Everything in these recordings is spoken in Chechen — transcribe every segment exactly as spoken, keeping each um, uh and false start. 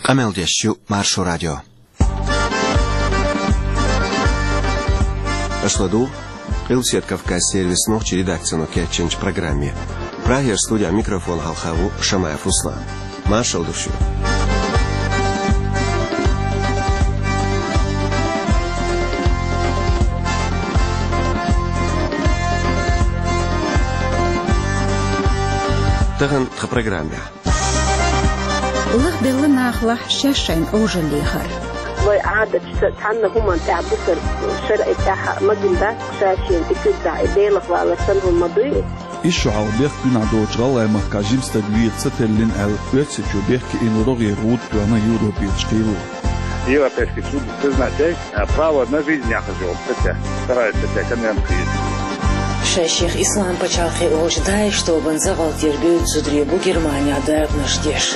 Къамел деш ю Маршо радио. Аша ладугӀу Къилбаседа Кавказан сервисан нохчийн редакцино кечйинчу программе. Прагера студехь микрофон хьалха ву Шамаев Руслан. Маршалла ду шуьга. Тахана тхан программехь. Лахбелла нахалахь шаьш шайна Ӏожалла лехар. Вай Ӏадаташ цхьанна хӀуманна тӀехь бусар шарӀи тӀехь магийна дац, ша-шена тӀе куьг дахь и белахь валар санна хӀума ма дуй. Иза шо хьалха бехк бина доцчу гӀалгӀайн махкахь жима стаг веха ца теллина аьлла, Оьрсийчоь бехке йина рогӀера гӀуда тоьхна Европерчу кхело. Европейский суд признать яй, а, право на жизнь яхаш йолу статья, вторая статья конвенции. Шаьш-шех Исламан пачхьалкхе олучу ДАИШ тобанан закъалтера боьду зударий бу Германехь дакъанаш деш.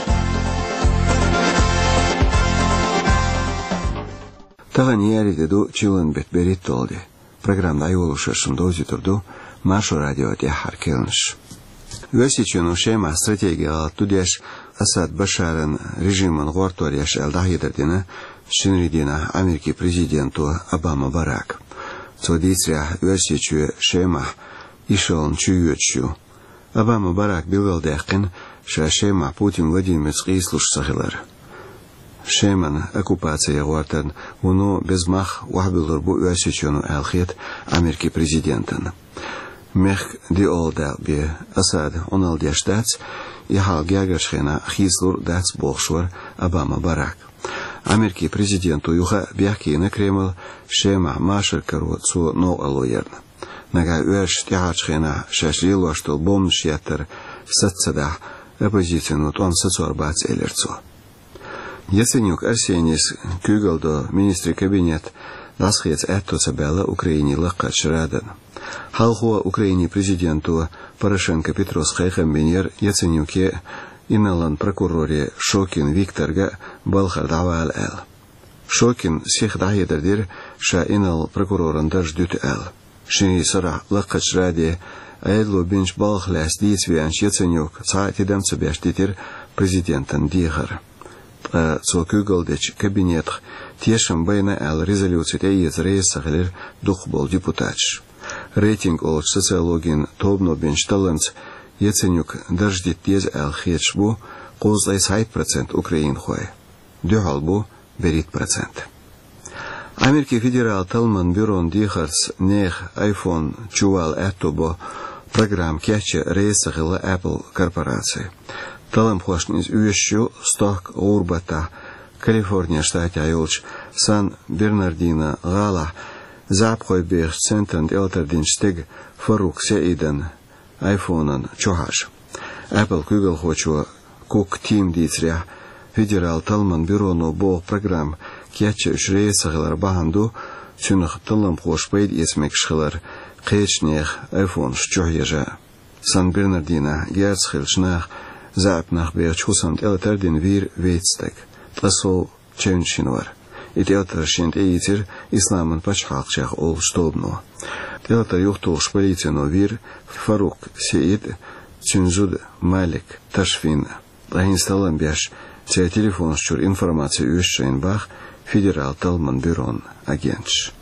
Тахана еарин де ду, чиллан беттан берхӀитталгӀа де. Программа дӀайолош шуна довзуьйтур ду Маршо радион тӀаьххьара керланаш. Оьрсийчоьно Шемахь стратегин гӀалат ду деш, Асад Башаран режимана гӀортор еш аьлла дӀахьедар дина шинарин дийнахь Америкин президенто Обама Барака. Цо дийцарехь, Оьрсийчоь Шемахь ишална чуйоьдуш ю. Обама Барака билгалдаьккхина ша Шемахь Путин Владимирца къийсалуш ца хилар. Шеман оккупаци ян гӀортарна вуно беза мах охьабуьллур бу Оьрсийчоьно аьлла хета Америкин президентана. Мехкан диъалгӀа дакъа бен Асада Ӏуналла деш дац, и хьал гергарчу хенахь хийцалур а дац, бохуш вара Обама Барак. Америкин президенто юха а бехке йина Кремль Шемахь машар каро цо новкъарло ярна. Нагахь оьрсаша тӀаьхьарчу хенахь шаьш лелош долу бомбанаш еттар саца ца дахь, оппозицино тӀом сацор бац, элира цо. Яценюк Арсенийс куьйгалла до министрийн кабинет дӀасахеца аьтто ца баьлла Украинин Лакхарчу Радана. Хьалхо Украинин президенто Порошенко Петрос кхайкхам бинера Яценюке а, инарлан прокуроре Шокин Викторга а балхара дӀавала аьлла. Шокина сиха дӀахьедар дира, ша инарла прокуроран дарж дуьту аьлла. Ши сарахь Лакхарчу Раде Ӏедало бинчу балхах лаьцна дийца веанчу Яценюка цхьа а тидам ца беш дитира президентан дехар. Ткъа цо куьйгалла дечу кабинетах тешам байна аьлла резолюци тӀеэца реза ца хилира дукхахболу депутаташ. Рейтинг олучу социологин тобано бинчу талламца Яценюка дарж дита деза аьлла хеташ бу кхузткъе цхьайтта процент украинхой. Дуьхьал бу берхӀитта процент. Америкин федералан талламан бюрон дехарца нехан айфон чувала аьтто бо программа кечъян реза ца хилла Apple корпораци. Талламхошна иза оьшуш ю стохка гӀуран-баттахь Калифорнин штатехь йолчу Сан-Бернардино гӀалахь заьӀапхой бехачу центрана тӀелатар динчу стеган Фарук СаӀидан айфонан чу хьажа. Apple куьйгалхочо Кук Тима дийцарехь, федералан талламан бюроно боху программа кечъян уьш реза ца хилар бахьана ду, цуьнах талламхоша пайда эца мегаш хилар кхечу нехан айфонаш чу хьежа. Сан-Бернардинохь герзаца хиллачу наха заьӀап нах бехачу хӀусамна тӀелатар дина вийра вейтта стаг. Ткъа сов чевнаш йина вара. И тӀелатар шена тӀеийцира Исламан пачхьалкх олучу тобано. ТӀелатар юхатухуш полицино вийра Фарук СаӀид а, цуьнан зуда Малик Ташфин а. Ткъа хӀинца таллам беш, церан телефонаш чуьра информаци оьшу шайна боху федералан талламан бюрон агенташа.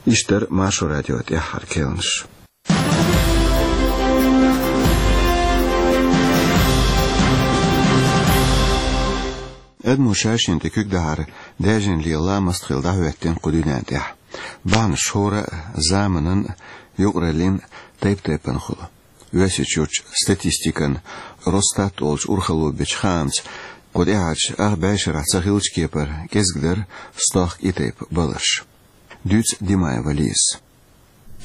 Иштта дара Маршо радион тӀаьххьара керланаш. Адамо ша-шена тӀе куьг дахьар даьржина лела ламаст хилла дӀахӀоьттина кху дуьнен тӀехь. Бахьанаш хӀора а, заманан а, юкъараллин а тайп-тайпана хуьлу. Оьрсийчуьрчу статистикан Росстат олучу урхалло бечу хаамца, кху тӀаьхьарчу ах бӀешарахь ца хиллачу кепара кӀезиг дара стохка и тайпа баларш. Дуьйцу Димаева Лизас.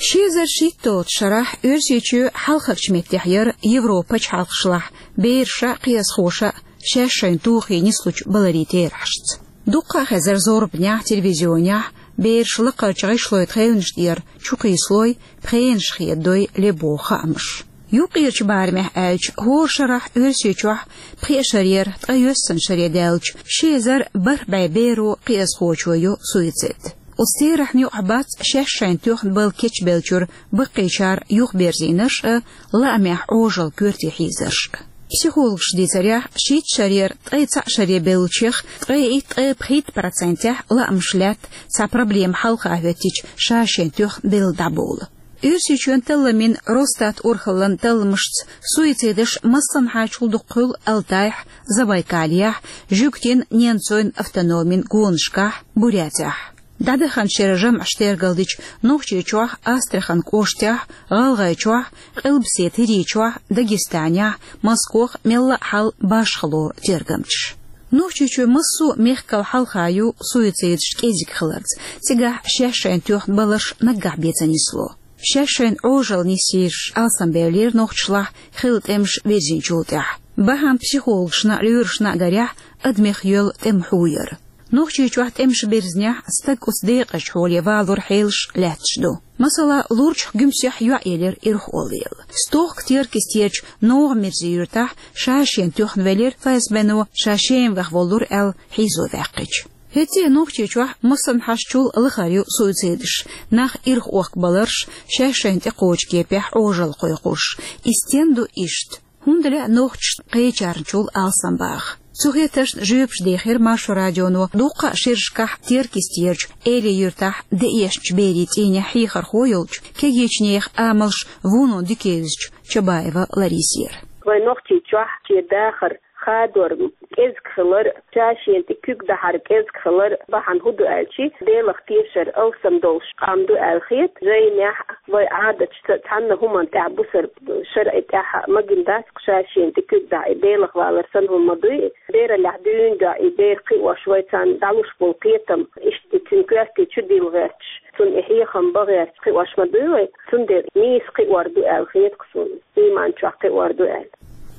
Ши эзар шийтталгӀачу шарахь Оьрсийчоь хьалхарчу меттехь яра Европан пачхьалкхашлахь бераша а, кхиазхоша а шаьш шайна тухий нислучу баларийн терахьашца. Дуккха а хезара зорбанехь, телевизионехь, бераш лакхарчу гӀишлойн тхевнаш тӀера чукхийсалой, пхенаш хедадой лебогӀу хаамаш. Юккъерчу барамехь аьлча, хӀора шарахь Оьрсийчохь пхеа шарера, ткъе йоьссана шаре даьллачу ши эзар бархӀ бӀе беро, кхиазхочо йо суицид. Оцу терахьна юкъахь бац шаьш шайна тоьхна бала кечбеллачуьра баккхийчара юхаберзийнарш а, лаамехь Ӏожалла коьрте хьийзарш а. Психологаша дийцарехь, шийтта шарера ткъе цхьаъ шаре бевллачех ткъе итт, ткъе пхийтта процентехь лаамаш лаьтта цхьа проблема хьалха хӀоьттича ша-шен тоьхна белла дӀабовла. Оьрсийчоьнан талламийн Росстат урхаллан талламашца суицидаш массанхьачул дукха хуьлу Алтайхь, Забайкалехь, Жуьгтийн Ненцойн автономийн гонашкахь, Бурятехь. ДӀадаханчу шеран жамӀаш тергалдича, Нохчийчохь, Астрахань кӀоштехь, ГӀалгӀайчохь, Къилбаседа ХӀирийчохь, Дагестанехь, Москох мелла а хьал башхало тергамчаш. Нохчийчоь массо а мехкал хьалха ю суицидаш кӀезиг хиларца, цигахь шаьш-шайна тоьхна баларш наггахь бен ца нисло. Шаьш-шайна Ӏожалла нисйийраш алсамбевллера нохчашлахь хилла тӀемаш вирзинчул тӀаьхьа. Бахьана психологашна а, лоьрашна а гарехь, адамех йоьллу тӀеман хьу яра. Нохчийчохь тӀемаш бирзинехь, стаг оцу декъазчу хьоле валоран хьелаш лаьтташ ду. Масала, Лурчахь Гуьмсехь йоӀ елира ирхъолла. Стохка Теркастерчу НогӀан-Мирзин юьртахь ша-шена тоьхна велира ФСБ-но, ша Шемахь воллура аьлла хьийзо ваьккхича. ХӀетте а Нохчийчохь массанхьашчул лахара ю суицидаш, нах ирхъохкабаларш, шаьш-шайна тӀекхочу кепехь Ӏожалла кхойкхуш. И стенна ду иштта? ХӀунда лаьа нохчашна кхечарначул алсамбаха? Цу хетаршна жоьпаш дехира Маршо радионо дуккха а шерашкахь Теркастерчу Эли-Юьртахь деэшначу берийн цӀийнехь хьехархо йолчу, кегийчу нехан амалш вуно дика евзачу Чабаева Ларисера. Вайн Нохчийчохь шен дахар хадор кӀезиг хилар, ша-шена тӀе куьг дахьар кӀезиг хилар бахьана хӀун ду аьлчи, Делах тешар алсам долуш къам ду аьлла хета, жайнехь а, вай Ӏадаташца а цхьанна хӀуманна тӀехь бусар шарӀе тӀехь а магийна дац-кх ша-шена тӀе куьг дахьа, и Делах валар санна хӀума ма дуй и. Бераллехь дуьйна дуьхьа и бер кхиош, вай царна дӀалуш болу кхетам, иштта цуьнан коьрте чу дилла гӀерташ, цунна и хьехам бан гӀерташ кхиош ма дуй вай, цундела нийса кхиор ду аьлла хета-кх суна, ийман чохь кхиор ду аьлла.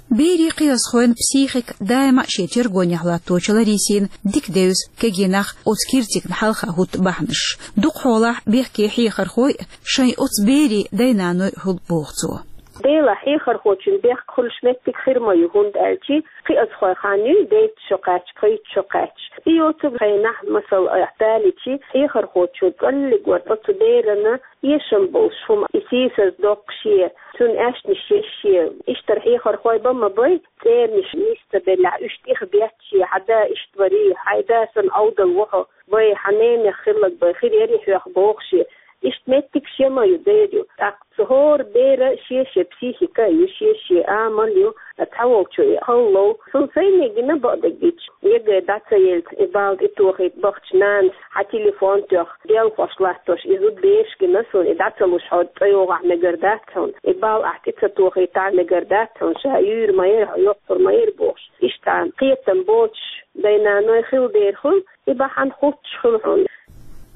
Берийн кхиазхойн психика даима а шен тергонехь латточу Ларисина дика девза кегий нах оцу киртигна хьалха хӀутту бахьанаш. Дукха хьолахь бехке хьехархой а шайн оцу берийн дай-наной хуьлу боху цо. Делахь, хьехархочун бехк хуьлуш меттиг хир ма ю, хӀунда аьлчи кхиазхой хан юй дейтта шо кхаьчча, пхийтта шо кхаьчча. И йоцург хенахь, масала, айхьа далийчи, хьехархочо кӀаллиг вара оцу берана эшам болуш хӀума, и сийсаз доккхуш е, цуьнан аьшнаш еш е. Иштта хьехархой бан ма бай, цӀеранаш нис ца беллехь, уьш тӀехбетташ е, хьан да иштта варий, хьайн да санна Ӏовдал ву хьо, вай хьан ненех хилларг бай, хир ярий хьоьх бохуш е. Иштта меттигаш я ма ю, дер ю. ТӀаккха цу хӀора бера шен-шен психика а ю, шен-шен амал ю, цхьаволчо и хала лов. Суна сайне гина бакъдерг гича, ЕГЭ дӀа ца елча, и балл тӀетохийта бахча нанас хьан телефон тоьхна, делхош латтош и зуда бераш гина суна, и дӀа ца луш хьо цӀа йогӀахь мегар дац хьуна, и балл ахь тӀе ца тохийтахь мегар дац хьуна, ша юьйр ма яра хьо, йоккхур ма яра бохуш. Иштта кхетам боцуш дай-наной хила дера хуьлу, и бахьана хуттуш хуьлу хьуна.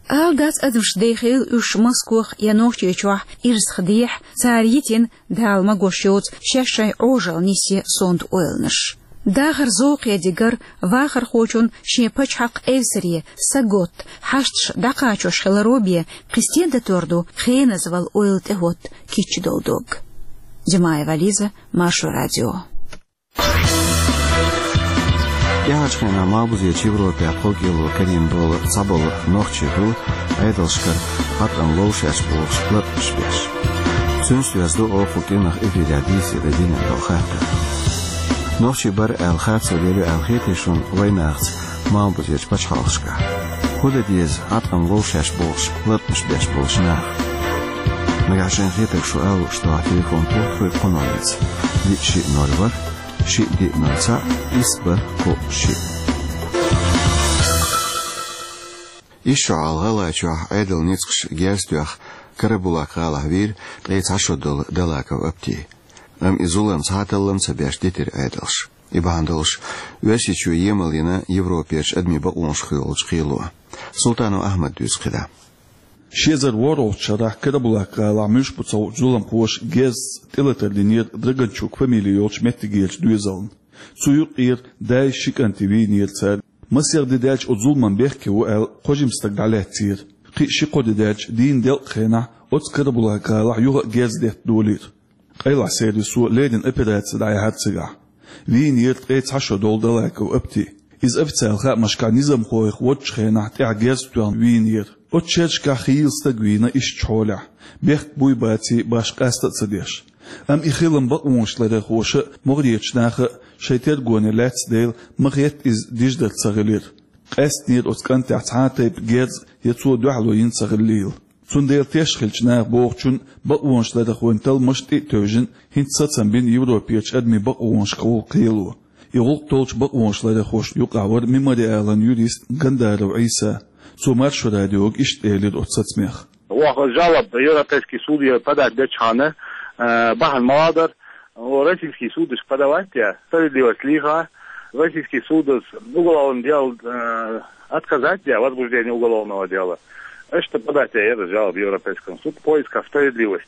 Ала дац адамаш дехийла уьш Москох я Нохчийчохь ирсах дехьа, цара йитина, Дала магош йоцу, шаьш-шайн Ӏожалла нисъе сонта ойланаш. Дахар зовкхе дигар, вахархочун шен пачхьалкх эвсаре, саготта, хьашташ дӀакхачош хиларо бен, кхин стен датор ду хеназвала ойла тӀехӀотта кийча долу дог. Димаева Лиза, Маршо радио. ТӀаьхьарчу хенахь Малхбузерчу Европехь пхо кӀело карийна болу цхьаболу нохчий хуьлу Ӏедалшкара хьатӀам ловшеш бохуш ларъамаш беш. Цуьнца доьзна ду оха кху кӀиранах эфирехь дийцаре динан долу хаттар. Нохчий бара аьлла харцо лелийна аьлла хетий шуна вайнахаца Малхбузерчу пачхьалкхашкахь? ХӀун дан деза хьатӀам ловшеш бохуш ларъамаш беш болчу наха? Нагахь шайна хетарг шу ала лууш ду телефон пурба, кху номерца: диъ шиъ ноль ворхӀ, шиъ диъ ноль цхьаъ, исс бархӀ кхоъ шиъ. Исс шо хьалха ГӀалгӀайчохь Ӏедалан ницкъаша герз тоьхна Карабулак-гӀалахь вийра ткъе цхьа шо долу Далаков Апти. Амма и зулам цхьа а таллам ца беш дитира Ӏедалша. И бахьана долуш, Оьрсийчоь емал йина Европерчу адамийн бакъонашка йолчу кхело. Султанов Ахьмада дуьйцу кхидӀа. Ши эзар ворхӀалгӀачу шарахь Карабулак-гӀалахь муьлш бу ца хуучу зуламхоша герзаца тӀелатар динера Драганчук фамили йолчу меттигерчу доьзална. Цу юкъера дай, ши кӀанти вийнера цара. Масех де даьлча оцу зуламан бехке ву аьлла, кхо жима стаг дӀалаьцнера. Кхин а ши-кхо де даьлча, дийнан делкъа хенахь оцу Карабулак-гӀалахь юха а герз детта долийра. Къайлахь сервисо леррина операци дӀаяьхьира цигахь. Вийнера ткъе цхьа шо долу Далаков Апти. Иза официалан хаамашкахь низамхойх водучу хенахь тӀехь герз тоьхна вийнера. Оцу шерашкахь хийла стаг вийна ишттачу хьолехь, бехк буй-баций башха къаста а ца деш. Амма и хилам бакъонаш ларъярхоша а, могӀарерча наха а шоай тергоне лаьцна дела, ма хетта, иза диждар ца хилира. Къаьстинера оцу кӀантехь цхьа а тайпа герз я цо дуьхьало йина ца хиллийла. Цундела теш хилча наха бохучун, бакъонаш ларъярхойн талламаш тӀе а тевжина, хӀинца сацам бина Европерчу адамийн бакъонашкахула кхело. И гӀуллакх толлучу бакъонаш ларъярхошна юкъахь вара Мемориалан юрист Гандаров Ӏийса. Цо Маршо радиога иштта элира оцу сацамех. Оха жалоба Европейский суде подать дечхьана, э, бахьана ма-дарра, о, российский судашка подавать де, справедливость лийха, российский судас уголовное дело, э, отказать де, возбуждение уголовного дела. Иштта подать де яра жалоба Европейскому суду в поисках справедливости.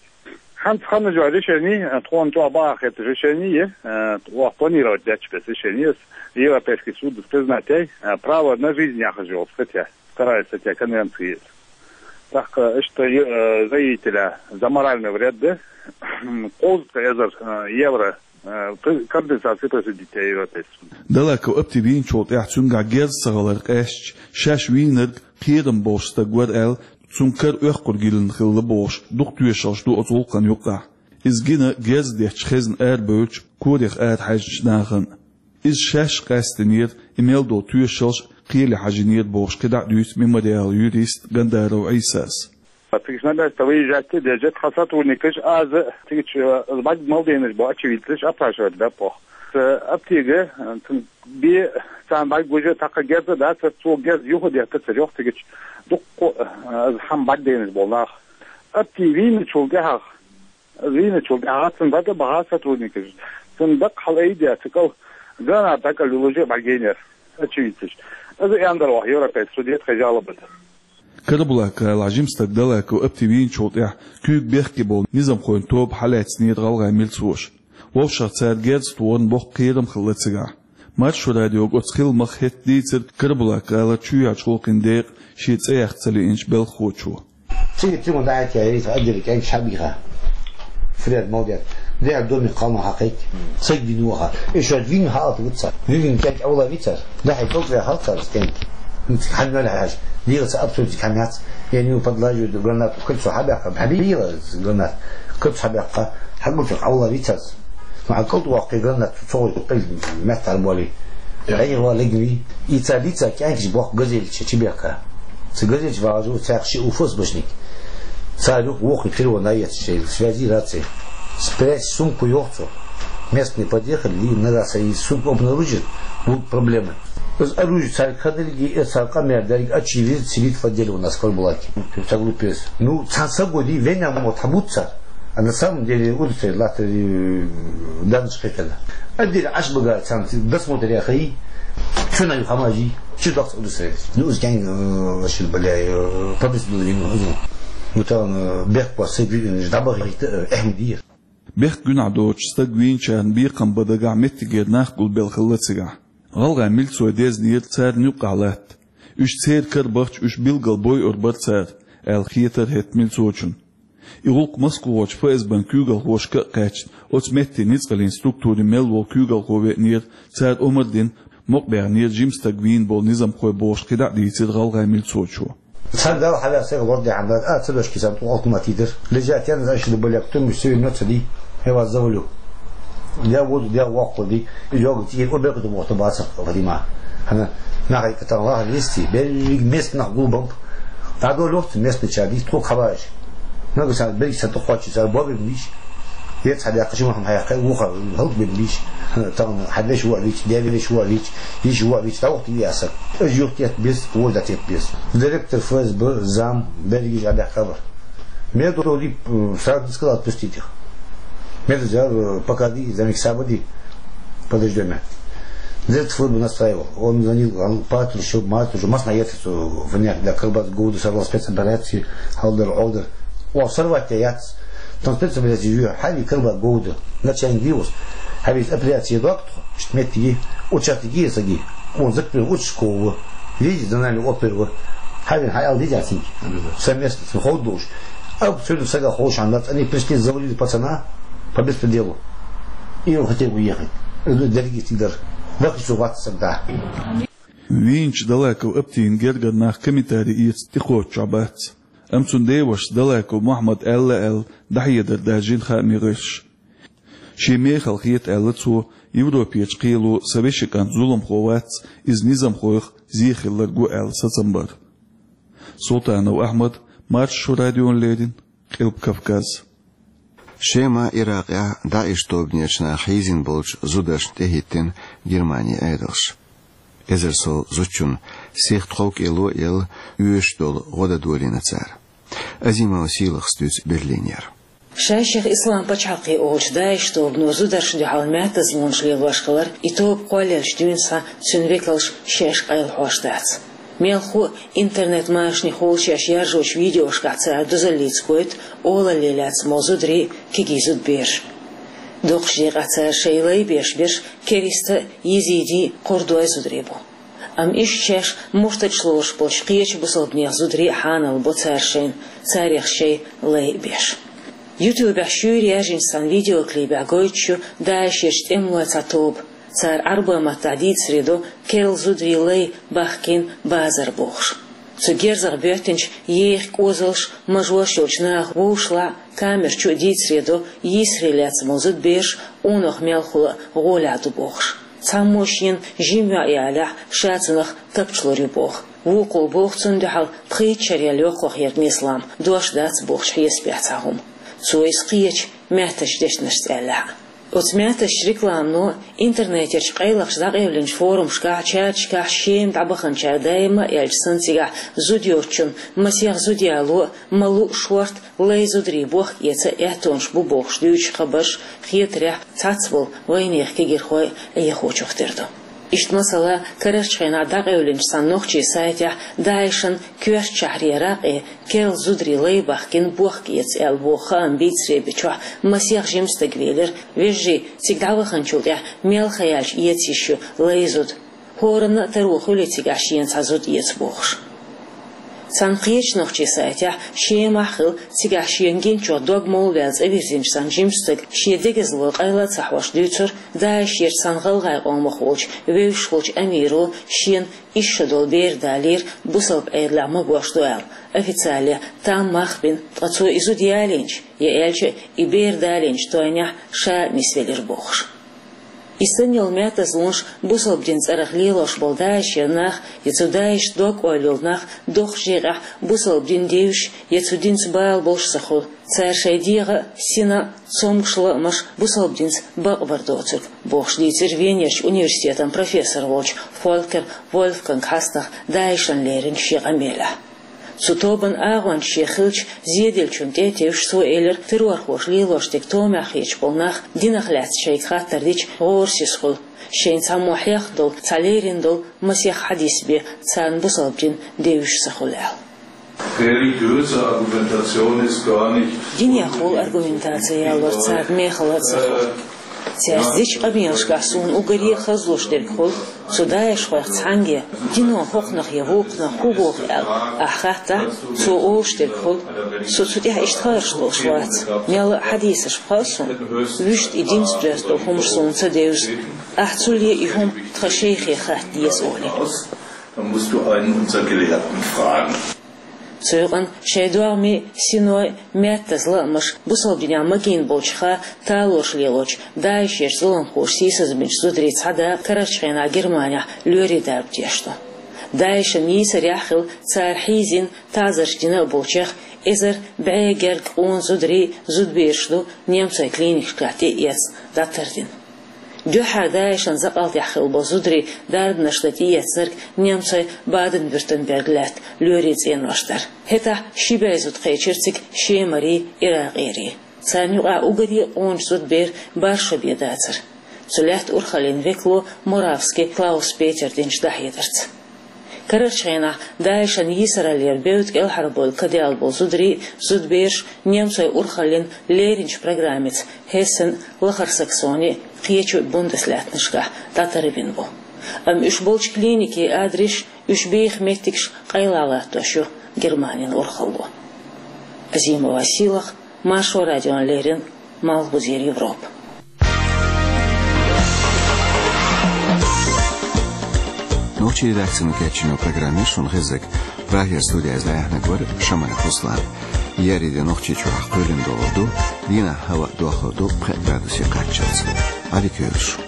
ХӀинца ханна жо решение, э, тхуна чӀогӀа бахьа хетта решение, э, оха планировать дечу бес решение, Европейский суд признать яй, э, право на жизнь яхаш йолу статья. Вторая статья конвенции. ТӀаккха иштта, э, заявителя за моральный вред, да, кхузткъа эзар, э, евро, э, при-, компенсация присудить яй Европейский суд. Далаков Апти вийначул тӀаьхьа цуьнгахь герз ца хилар къаьстича, шаьш вийнарг кхерам болуш стаг вара аьлла, цуьнан кара оьккхур гилина хилла бохуш, дукха тоьшаллаш ду оцу гӀуллакхана юккъехь. Иза гина герз детташ хезна арабевллачу, корах арахьаьжначу нахана. Иза шаьш къаьстинера, и мел долу тоьшаллаш кхеле хьажийнера бохуш, кхидӀа а дуьйцу Мемориалан юрист Гандаров Ӏийсас. Цига на место выезжать деза тхан сотрудникаш, аз цига чу, э, бӀаьрг мел дайнарш бу очевидцаш опрашивать баьппох. Э, Аптига, э, цун бен царна бӀаьрг гуш а, тӀаккха герз а дацара, цо герз юха а деттацара, йоху цигачу дуккха, э, хьан бӀаьрг дайнарш болу нах. Апти вийначул тӀаьхьа Вийначул тӀаьхьа цунна дӀатӀа а бахьа сотрудникаша. Цунна даккха хьалаайдеш, цу кӀал гранат дӀакӀал лулуш а бӀаьрг йийнера, очевидцаш. Иза а яндар ваха Европейский суде тхайн жалоба. Карабулак-гӀалахь жима стаг Далаков Апти вийначул тӀаьхьа куьйга бехке болу низамхойн тоба хьалаьцнера гӀалгӀайн милцоша. Вовшах цара герз тохарна боккха кхерам хилла цигахь. Маршо радиога оцу хиламах хӀетта дийцира Карабулак-гӀалара чоьхьарчу гӀуллакхийн декъан шен цӀе яккха ца лиъначу белхахочо. Цига тима дӀахӀиттаяьлла, иза отделе кӀентий хьабийха. Фред, молодец. Дехьа доме кхалнах хьакхайкхи. Сайга вийна ваха. И шоьш вийна хьаалта вуьту цара. Вийна кӀентий Ӏовла вийцара. ДӀахьа кӀалтӀа ваьхьа хьалцара кӀентий. Хьан мел хьаьжа. Дийла ца абсурдик хьан яц. Я него подлаживают гранату. Кольцо хьабаьккха. Хьабийла гранат. Кольцо хьабаьккха. Хьагучух Ӏовла вийцара. Ма хьан кӀалтӀа воккхий гранат. Цо гӀой къил метта хьарболи. Ӏехо легнви. И ца лица кӀаьнкаш бохку газелича чибехка. Цу газелича вагӀаш ву цхьаьхьа ши УФСБшник. Цара юха воху телефон а ецна шайла, связи, раци. Спрячь сумку, йоху цо. Местные подъехали, и нагахь сан и сумку обнаружит, будут проблемы. Иза оружие цаьрга хадалги, и цара къамел дерг а чийвиза, сидит в отделе у нас в Карабулаке. Ца глупец. Ну, цхьана сагоди, венна мо тхьамуц цара. А на самом деле удостоверить латтар, э, даннаш кхетарна. Отделе Ӏаш багара царна досмотр яхай, чу най хамажи, чу доккха удостоверить. Ну, из кӀайн, э, шил, бля, э, по месту дадим, ну, ну, там, э, бехк по сей, э, ждабах, э, эхмадир. Бехк гуьнахь доцуш стаг вийначарна бекхам бан дагахь меттигера нах гулбелла хилла цигахь. ГӀалгӀайн милцой дезнера царна юккъахь латта. Уьш церан кара бахча, уьш билггал бойур бара цара, аьлла хетара хӀетта милцочунна. И гӀуллакх Москвахочу ФСБ-н куьйгалхошка а кхаьчна, оцу меттийн ницкъаллин структурийн мел волу куьйгалхо веанера, цара омра дина, мукъабаьхнера жима стаг вийна болу низамхой бохуш кхидӀа а дийцира гӀалгӀайн милцочо. Цхьана Далла хьавеа сайга лор дехьа дара, а, ца дошки сан тӀу алкуматий дара. Лежат ян за шили баляк, туму севин ноца ди, я вас завалю. Я воду, я воккху ди, йога тӀера обекату боху бацах Фатима. Хьана, нахай катан лаха листи, берриг местнах гулбам. ДӀадолуьйту местный чар, дийца тхуг хабараш. Нагахь сан берриг сан тӀе кхоччуш, цара бобин дийш. Ец хьадаьккхаш, ма хьан хьаьккхай, вуха, хӀаллакбин дийш. Тахана хьан веш ву а вич, ден веш ву а вич, йиш ву а вич, дӀавахта и асак. Аж юхтет бес, вождатет бес. Директор ФСБ, зам, берригаш а бехкабар. Мел доди, э, сразу сказал: «Отпустите их». Мел взял, э, «Пока ди, за них сабади». Подождём. Дед службу настраивал. Он звонил, он патрушил, матрушил, масна яц, э, в днях, да, Кырбат Гоуда сорвал спецоперации, Халдар, Олдар. О, сорвать-то яц. Там спецоперация, ю, хьали Кырбат Гоуда. Начальник Диус. Хьали операция докт, метки, участки саги. Он закрыл участкового. Видите, за нами опер. Хьали, хьали, видите, оценки. Совместно, с холодуш. А сегодня сага холш, они пришли, завалили пацана по беспределу. И он хотел уехать. Дерги тигр. Вахи суват сагда. Вийначу Далаков Аптин гергара нах комментари эца тӀекхоччуш бац. Амма цуьнан девашас Далаков Мухьаммад аьлла аьлла дӀахьедар даржийна хаамийн гӀирсаша. Шен мехала хета аьлла цо, Европерчу кхело сан вешин кӀант зуламхо вац, иза низамхойх зе хилларг ву аьлла сацам бар. Султанов Ахьмад, Маршо радиона леррина, Къилба Кавказ. Шема Иракъехь ДАИШ тобанерчу наха хьийзина болчу зударшна тӀехӀиттина Германин Ӏедалш. Эзар сов зудчунна сих тхов кӀело а елла, оьшуш долу гӀо дан долийна цара. Азимова Сийлахьас дуьйцу Берлинера. Шайх Ислам пачхьалкхе олучу ДАИШ тобано зударшна дуьхьал маьттазлонаш лелош хилар, и тоба кхоллаелчу дуьйна схьа цуьнан векалш шаьш къайлахьош дац. Мелхо а интернет-машанехула шаьш яржочу видеошкахь цара дозаллица гойту олалле лаьцна болу зударий а, кегий зудбераш а. Доккхачу декъехь цара шайн лай беш берш кериста а, езиди а, кхурдой а зударий бу. Амма иштта шаьш мурталш лоруш болчу кхечу бусалбанех зударий а хьанал бо цара шайна, царех шайн лай а беш. Ютубехь шуьйра яьржинчу цхьана видеоклипехь гойтуш ю ДАИШерчу тӀемалойн цхьа тоба. Цара Ӏарбойн маттахь дийцаре до керла зударийн лай бахкийна базар бохуш. Цу герзах боьттинчу еха кӀозалш, мажош йолчу наха вовшашлахь а, камера чу а дийцаре до йийсаре лаьцна болу зудбераш къонах мелхо а гӀолехь ду бохуш. Цхьаммо шена жима йоӀ ялахь, ша цунах тапча лур ю боху. Вукхо боху цунна дуьхьал пхийтта шарел йоккхах ерг нислам, дош дац бохучу хьесапехь цхьа хӀума. Цо иза кхечу маьттачу дешнашца аьллехь а. Оцу маьттачу рекламано, интернетерчу къайлахчу дӀакъевлинчу форумашкахь, чаташкахь Шема дӀабаханчара даима а аьлча санна цигахь зуда йоцучунна масех зуда яло а, ма луъу шорта лай зударий бохка эца а аьттонаш бу бохуш дуьйцучу хабарш, хетарехь, цхьацболу вайнехан кегийрхой а Ӏехочух тера ду. Иштта, масала, карарчу хенахь дӀакъевлинчу цхьана нохчийн сайтехь ДАИШан коьртачу шахьре ракъе керла зударийн лай бахкийна бохка эца аьлла боху хаам бийцаре бечохь масех жима стаг велира, вежарий, цига дӀаваханчул тӀаьхьа мел хан яьлча эца йиш ю лай зуда. ХӀоранна а таро хуьлий цигахь шена цхьа зуда эца бохуш. Цхьана кхечу нохчийн сайтехь Шемахь хилла, цигахь шена гиначух дог молла ваьлла цӀа вирзинчу цхьана жима стага шен дегазло къайла а ца хьош дуьйцура, ДАИШерчу цхьана гӀалгӀайн къомах волчу вевзаш волчу амиро шена исс шо долу бер далийра, бусалба Ӏедалехь магош ду аьлла, официале там мах а бина, ткъа цо и зуда ялийначу, я аьлча, и бер далийначу тойнехь ша а нисвелира бохуш. И санна йолу маьттазлонаш бусалба динан цӀарах лелош болу ДАИШера нах, я цу ДАИШца дог-ойла йолу нах доккхачу декъехь бусалба дин девзаш, я цу динца бала болуш ца хуьлу. Цара шайн дегӀан а, синан а цомгуш лаамаш бусалба динца бакъбар доцург, бохуш дийцира Венерчу университетан профессор волчу Фолькер Вольфганг Хьаснах ДАИШан леринчу шен къамелехь. Цу тобанан агӀонча шен хиллачу зеделлачунна тӀе а тевжаш, цо элира, террорхоша лелош дерг томехь хеташ болу нах динах лаьцна шайга хаттар дича гӀорасиз хуьлу, шайна цхьаммо хьехна долу, цхьа лерина долу масех хьадис бен царна бусалба дин девзаш ца хуьлу аьлла. Religiöse Argumentation ist gar nicht Динехула аргументаци ялор царна мехала а ца хуьлу. Цаьрца дечу къамелашкахь суна уггаре а хазлуш дерг хуьлу, цу ДАИШхойх цхьаьнгге, дино хӀокхунах я вукхунах хӀун боху аьлла ахь хаттахь, цо олуш дерг хуьлу, со цу тӀехь иштта хаарш долуш вац. Мелла а хьадисаш хаьа суна, вуьшта и динца доьзна долу хӀумаш суна ца девза. Ахь цул е и хӀума тхан шайхе хатта деза олий. Dann musst du einen unserer Gelehrten fragen. Цу юкъана шайн догӀмийн, синойн а маьттаза лаамаш бусалба динехь магийна болчу ха талораш лелочу ДАИШерчу зуламхоша сийсазбинчу зударийн цхьа да карарчу хенахь Германехь лоьрийн дарба деш ду. ДАИШан йийсарехь а хилла, цара хьийзина, таӀзарш дина а болчех эзар бӀе гергга къона зударий а, зудбераш а ду немцойн клиникашкахь тӀе а эцна, дӀатардина. Дуьххьара ДАИШан закъалтехь хилла болу зударий дарбанаш дан тӀеэцнарг немцойн Баден-Вюртемберг лаьтта лоьрийн цӀенош дара. ХӀетахь ши бӀе зуда кхечира цига шемарий, иракъерий. Царна юкъахь уггаре а къоначу зудберан бархӀ шо бен дацара. Цу лаьттан урхаллин векало Моравский Клаус-Петера динчу дӀахьедарца. Карарчу хенахь ДАИШан йийсараллера бевдда кӀелхьарбевлла кадаьлла болу зударий а, зудбераш а немцойн урхаллин леринчу программица Хессен, Лахара Саксони, кхечу Бундеслаьттанашкахь дӀатарбина бу. Амма уьш болчу клиникийн адресаш, уьш беха меттигаш къайлахь латтош ю Германин урхалло. Азимова Сийлахь, Маршо радиона леррина, Малхбузера Европа. Нохчийн редакцино кечйина программа шуна хезнарг. Прагера студехь дӀаяьхьнарг вара Шамаев Руслан. Еари де Нохчийчохь кхоьлина догӀур ду, дийнахь хӀаваъ дохур ду пхи градусе кхаччалц. Ӏадика йойла шун.